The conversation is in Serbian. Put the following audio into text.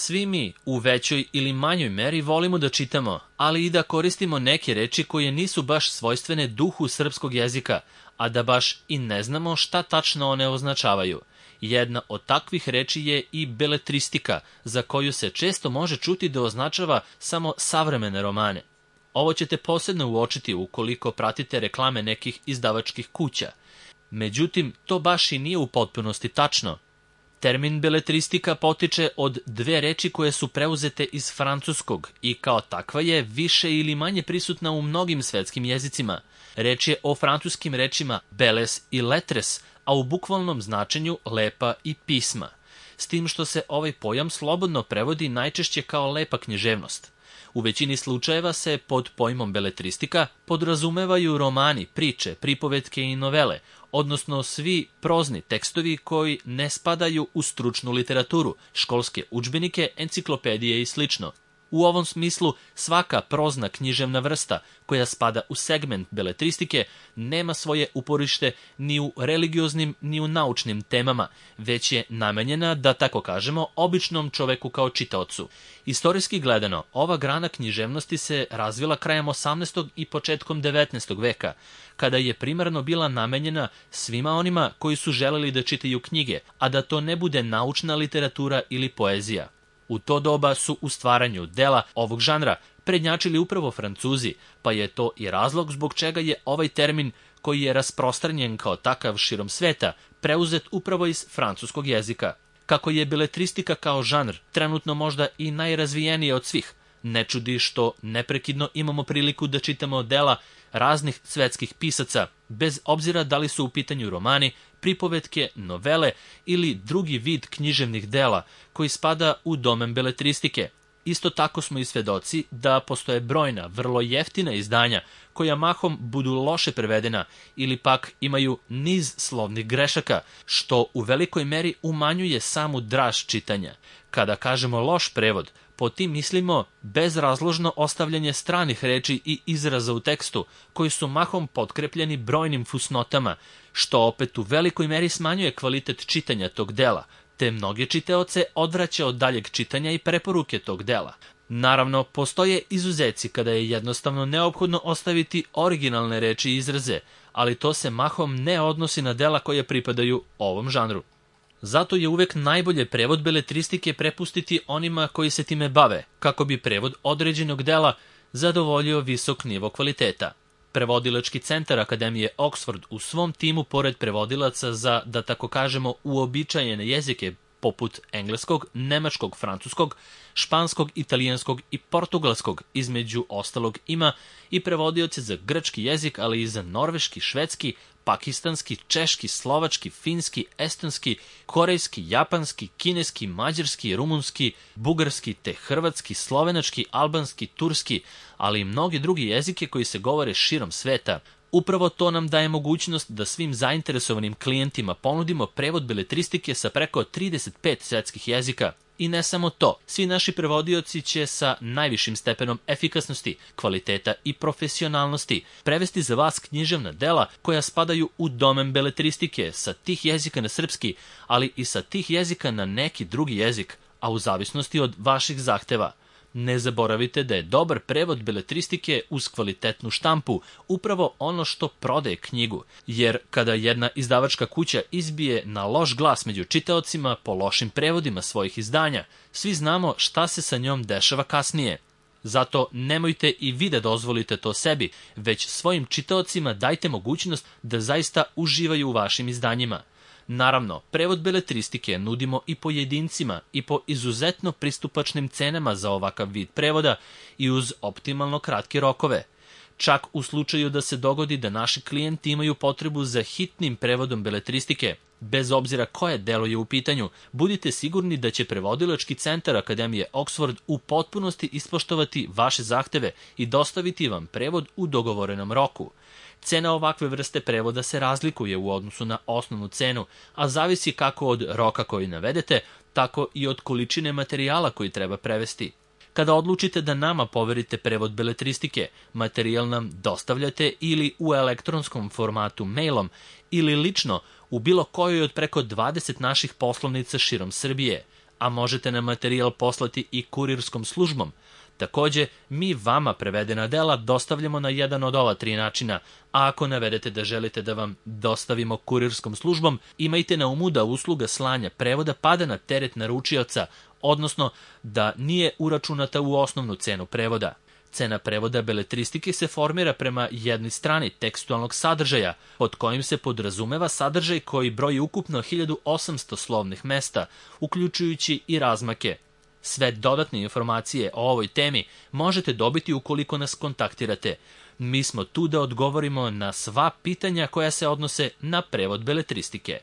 Svi mi u većoj ili manjoj meri volimo da čitamo, ali i da koristimo neke reči koje nisu baš svojstvene duhu srpskog jezika, a da baš i ne znamo šta tačno one označavaju. Jedna od takvih reči je i beletristika, za koju se često može čuti da označava samo savremene romane. Ovo ćete posebno uočiti ukoliko pratite reklame nekih izdavačkih kuća. Međutim, to baš i nije u potpunosti tačno. Termin beletristika potiče od dve reči koje su preuzete iz francuskog i kao takva je više ili manje prisutna u mnogim svetskim jezicima. Reč je o francuskim rečima belles i lettres, a u bukvalnom značenju lepa i pisma. S tim što se ovaj pojam slobodno prevodi najčešće kao lepa književnost. U većini slučajeva se pod pojmom beletristika podrazumevaju romani, priče, pripovetke i novele, odnosno svi prozni tekstovi koji ne spadaju u stručnu literaturu, školske udžbenike, enciklopedije i sl. U ovom smislu svaka prozna književna vrsta koja spada u segment beletristike nema svoje uporište ni u religioznim ni u naučnim temama, već je namenjena, da tako kažemo, običnom čoveku kao čitaocu. Istorijski gledano, ova grana književnosti se razvila krajem 18. i početkom 19. veka, kada je primarno bila namenjena svima onima koji su želeli da čitaju knjige, a da to ne bude naučna literatura ili poezija. U to doba su u stvaranju dela ovog žanra prednjačili upravo Francuzi, pa je to i razlog zbog čega je ovaj termin, koji je rasprostranjen kao takav širom sveta, preuzet upravo iz francuskog jezika. Kako je beletristika kao žanr trenutno možda i najrazvijenije od svih, ne čudi što neprekidno imamo priliku da čitamo dela raznih svetskih pisaca, bez obzira da li su u pitanju romani, pripovetke, novele ili drugi vid književnih dela koji spada u domen beletristike. Isto tako smo i svedoci da postoje brojna, vrlo jeftina izdanja koja mahom budu loše prevedena ili pak imaju niz slovnih grešaka, što u velikoj meri umanjuje samu draž čitanja. Kada kažemo loš prevod, pod tim mislimo bezrazložno ostavljanje stranih reči i izraza u tekstu, koji su mahom potkrepljeni brojnim fusnotama, što opet u velikoj meri smanjuje kvalitet čitanja tog dela, te mnoge čitaoce odvraća od daljeg čitanja i preporuke tog dela. Naravno, postoje izuzeci kada je jednostavno neophodno ostaviti originalne reči i izraze, ali to se mahom ne odnosi na dela koje pripadaju ovom žanru. Zato je uvek najbolje prevod beletristike prepustiti onima koji se time bave, kako bi prevod određenog dela zadovoljio visok nivo kvaliteta. Prevodilački centar Akademije Oxford u svom timu, pored prevodilaca za, da tako kažemo, uobičajene jezike poput engleskog, nemačkog, francuskog, španskog, italijanskog i portugalskog, između ostalog ima i prevodioce za grčki jezik, ali i za norveški, švedski, pakistanski, češki, slovački, finski, estonski, korejski, japanski, kineski, mađarski, rumunski, bugarski, te hrvatski, slovenački, albanski, turski, ali i mnogi drugi jezike koji se govore širom sveta. Upravo to nam daje mogućnost da svim zainteresovanim klijentima ponudimo prevod beletristike sa preko 35 svetskih jezika. I ne samo to, svi naši prevodioci će sa najvišim stepenom efikasnosti, kvaliteta i profesionalnosti prevesti za vas književna dela koja spadaju u domen beletristike sa tih jezika na srpski, ali i sa tih jezika na neki drugi jezik, a u zavisnosti od vaših zahteva. Ne zaboravite da je dobar prevod beletristike uz kvalitetnu štampu upravo ono što prodaje knjigu, jer kada jedna izdavačka kuća izbije na loš glas među čitaocima po lošim prevodima svojih izdanja, svi znamo šta se sa njom dešava kasnije. Zato nemojte i vi da dozvolite to sebi, već svojim čitaocima dajte mogućnost da zaista uživaju u vašim izdanjima. Naravno, prevod beletristike nudimo i pojedincima i po izuzetno pristupačnim cenama za ovakav vid prevoda i uz optimalno kratke rokove. Čak u slučaju da se dogodi da naši klijenti imaju potrebu za hitnim prevodom beletristike, bez obzira koje delo je u pitanju, budite sigurni da će prevodilački centar Akademije Oxford u potpunosti ispoštovati vaše zahteve i dostaviti vam prevod u dogovorenom roku. Cena ovakve vrste prevoda se razlikuje u odnosu na osnovnu cenu, a zavisi kako od roka koji navedete, tako i od količine materijala koji treba prevesti. Kada odlučite da nama poverite prevod beletristike, materijal nam dostavljate ili u elektronskom formatu mailom ili lično u bilo kojoj od preko 20 naših poslovnica širom Srbije, a možete nam materijal poslati i kurirskom službom. Takođe, mi vama prevedena dela dostavljamo na jedan od ova 3 načina, a ako navedete da želite da vam dostavimo kurirskom službom, imajte na umu da usluga slanja prevoda pada na teret naručioca, odnosno da nije uračunata u osnovnu cenu prevoda. Cena prevoda beletristike se formira prema jednoj strani tekstualnog sadržaja, pod kojim se podrazumeva sadržaj koji broji ukupno 1800 slovnih mesta, uključujući i razmake. Sve dodatne informacije o ovoj temi možete dobiti ukoliko nas kontaktirate. Mi smo tu da odgovorimo na sva pitanja koja se odnose na prevod beletristike.